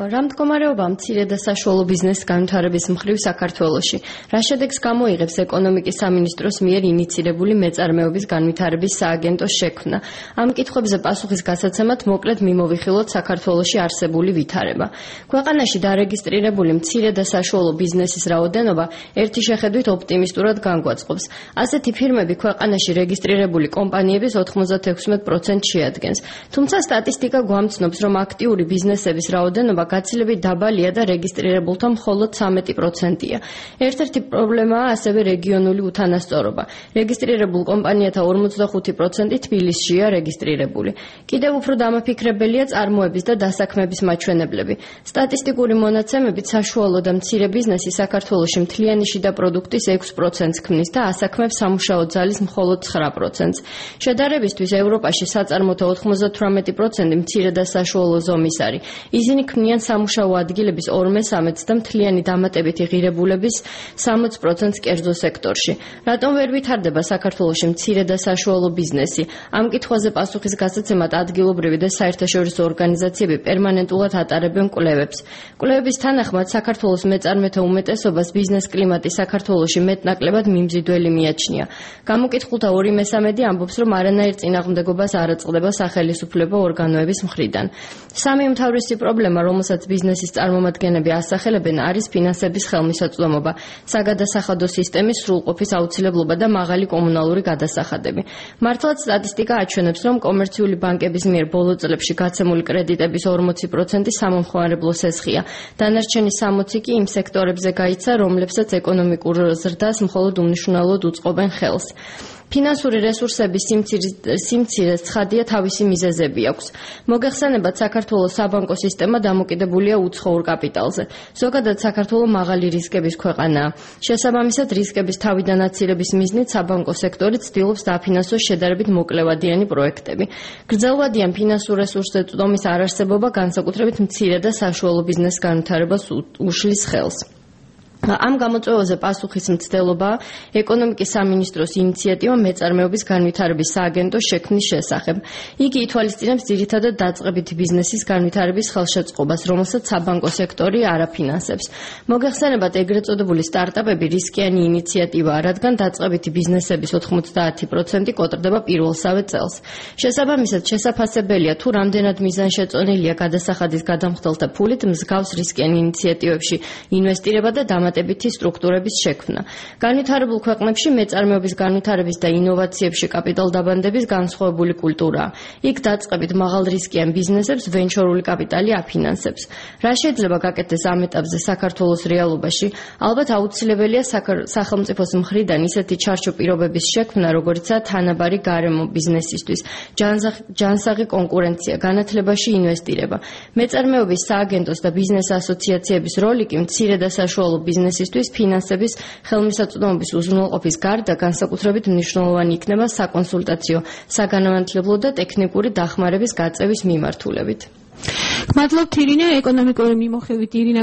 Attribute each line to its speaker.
Speaker 1: რა მდგომარეობაა მცირე და საშუალო ბიზნესის განვითარების მხრივ საქართველოში? რა შედეგს გამოიღებს ეკონომიკის სამინისტროს მიერ ინიცირებული მეწარმეობის განვითარების სააგენტოს შექმნა? ამ კითხვებზე პასუხის გასაცემად მოკლედ მიმოვიხილოთ საქართველოში არსებული ვითარება. ქვეყანაში დარეგისტრირებული მცირე და საშუალო ბიზნესის რაოდენობა ერთი შეხედვით ოპტიმისტურად განგვაწყობს. ასეთი ფირმები ქვეყანაში რეგისტრირებული კომპანიების 96% შეადგენს. თუმცა სტატისტიკა გვამცნობს, რომ აქტიური ბიზნესების რაოდენობა გაცილებით დაბალია და რეგისტრირებულთა მხოლოდ 13%-ია. ერთ-ერთი პრობლემაა ასევე რეგიონული უთანასწორობა. რეგისტრირებულ კომპანიათა 45% თბილისშია რეგისტრირებული. კიდევ უფრო დამაფიქრებელია წარმოების და დასაქმების მაჩვენებლები. სტატისტიკური მონაცემებით საშუალო და მცირე ბიზნესი საქართველოში მთლიანი შიდა პროდუქტის 6%-ს ქმნის და ასაქმებს სამუშაო ძალის მხოლოდ 9%-ს. შედარებისთვის ევროპაში საწარმოთა 98% მცირე და საშუალო ზომის არის. ისინი ქმნიან სამუშაო ადგილების 2/3-ს და მთლიანი დამატებითი ღირებულების 60%-ს კერძო სექტორში. რატომ ვერ ვითარდება საქართველოში მცირე და საშუალო ბიზნესი? ამ კითხვაზე პასუხის გასაცემად ადგილობრივი და საერთაშორისო ორგანიზაციები პერმანენტულად ატარებენ კვლევებს. კვლევების თანახმად საქართველოს მეწარმეთა უმეტესობას ბიზნეს კლიმატი საქართველოში მეტნაკლებად მიმზიდველი მიაჩნია. გამოკითხულთა 2/3 ამბობს, რომ არანაირ წინააღმდეგობას არ აწყდება სახელისუფლებო ორგანოების მხრიდან. სამი უმთავრესი პრობლემა, რომელსაც ბიზნესის წარმომადგენლები ასახელებენ, არის ფინანსების ხელმისაწვდომობა, საგადასახადო სისტემის სრულყოფის აუცილებლობა და მაღალი კომუნალური გადასახადები. მართლაც სტატისტიკა აჩვენებს, რომ კომერციული ბანკების მიერ ბოლო წლებში გაცემული კრედიტების 40% სამომხმარებლო სესხია. დანარჩენი 60% კი იმ სექტორებზე გაიცა, რომლებსაც ეკონომიკურ ზრდას მხოლოდ უმნიშვნელოდ უწყობენ ხელს. ფინანსური რესურსების სიმცირეს ცხადია თავისი მიზეზები აქვს. მოგეხსენებათ, საქართველოს საბანკო სისტემა დამოკიდებულია უცხოურ კაპიტალზე. ზოგადად საქართველო მაღალი რისკების ქვეყანაა. შესაბამისად, რისკების თავიდან აცილების მიზნით საბანკო სექტორი ცდილობს დააფინანსოს შედარებით მოკლევადიანი პროექტები. გრძელვადიან ფინანსურ რესურსზე წვდომის არარსებობა განსაკუთრებით მცირე და საშუალო ბიზნესის განვითარებას უშლის ხელს. ამ გამოწვევაზე პასუხის მცდელობაა ეკონომიკის სამინისტროს ინიციატივა მეწარმეობის განვითარების სააგენტოს შექმნის შესახებ. იგი ითვალისწინებს ძირითადად დაწყებითი ბიზნესის განვითარების ხელშეწყობას, რომელსაც საბანკო სექტორი არ აფინანსებს. მოგეხსენებათ, ეგრეთ წოდებული სტარტაპები რისკიანი ინიციატივაა, რადგან დაწყებითი ბიზნესების 90% კოტრდება პირველსავე წელს. შესაბამისად, შესაფასებელია, თუ რამდენად მიზანშეწონილია გადასახადის გადამხდელთა ფულით მსგავს რისკიან ინიციატივებში ინვესტირება და დამატებითი სტრუქტურების შექმნა. განვითარებულ ქვეყნებში მეწარმეობის განვითარების და ინოვაციებში კაპიტალდაბანდების განსხვავებული კულტურაა. იქ დაწყებით მაღალრისკიან ბიზნესებს ვენჩორული კაპიტალი აფინანსებს. რა შეიძლება გაკეთდეს ამ ეტაპზე საქართველოს რეალობაში? ალბათ აუცილებელია სახელმწიფოს მხრიდან ისეთი ჩარჩო პირობების შექმნა, როგორიცაა თანაბარი გარემო ბიზნესისთვის, ჯანსაღი კონკურენცია, განათლებაში ინვესტირება. მეწარმეობის სააგენტოს და ბიზნეს ასოციაციების როლი კი მცირე და საშუალო ბიზნესისთვის ფინანსების ხელმისაწვდომობის უზრუნველყოფის გარდა განსაკუთრებით მნიშვნელოვანი იქნება საკონსულტაციო, საგანმანათლებლო და ტექნიკური დახმარების გაწევის მიმართულებით.
Speaker 2: მადლობთ ირინა, ეკონომიკური მიმოხილვით ირინა